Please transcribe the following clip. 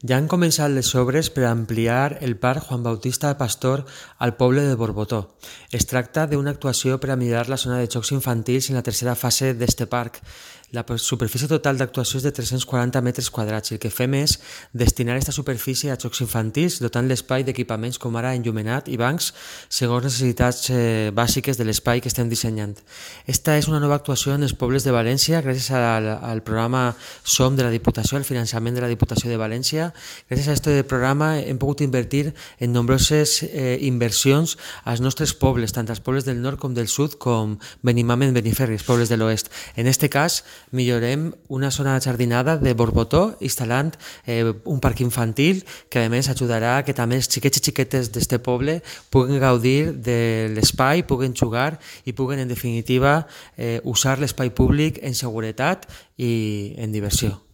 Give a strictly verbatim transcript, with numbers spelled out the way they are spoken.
Ja han començat les obres per ampliar el Parc Juan Bautista Pastor al poble de Borbotó. Es tracta d'una actuació per a millorar la zona de jocs infantils en la tercera fase d'este parc. La superfície total d'actuació és de tres-cents quaranta metres quadrats i el que fem és destinar aquesta superfície a jocs infantils, dotant l'espai d'equipaments com ara enllumenat i bancs segons necessitats eh, bàsiques de l'espai que estem dissenyant. Esta és una nova actuació en els pobles de València gràcies al, al programa SOM de la Diputació, al finançament de la Diputació de València. Gràcies a aquest programa hem pogut invertir en nombroses eh, inversions als nostres pobles, tant als pobles del nord com del sud, com Benimàmet, Beniferri, els pobles de l'oest. En aquest cas, millorem una zona jardinada de Borbotó instal·lant eh, un parc infantil que a més ajudarà que també els xiquets i xiquetes d'este poble puguen gaudir de l'espai, puguen jugar i puguen en definitiva eh, usar l'espai públic en seguretat i en diversió.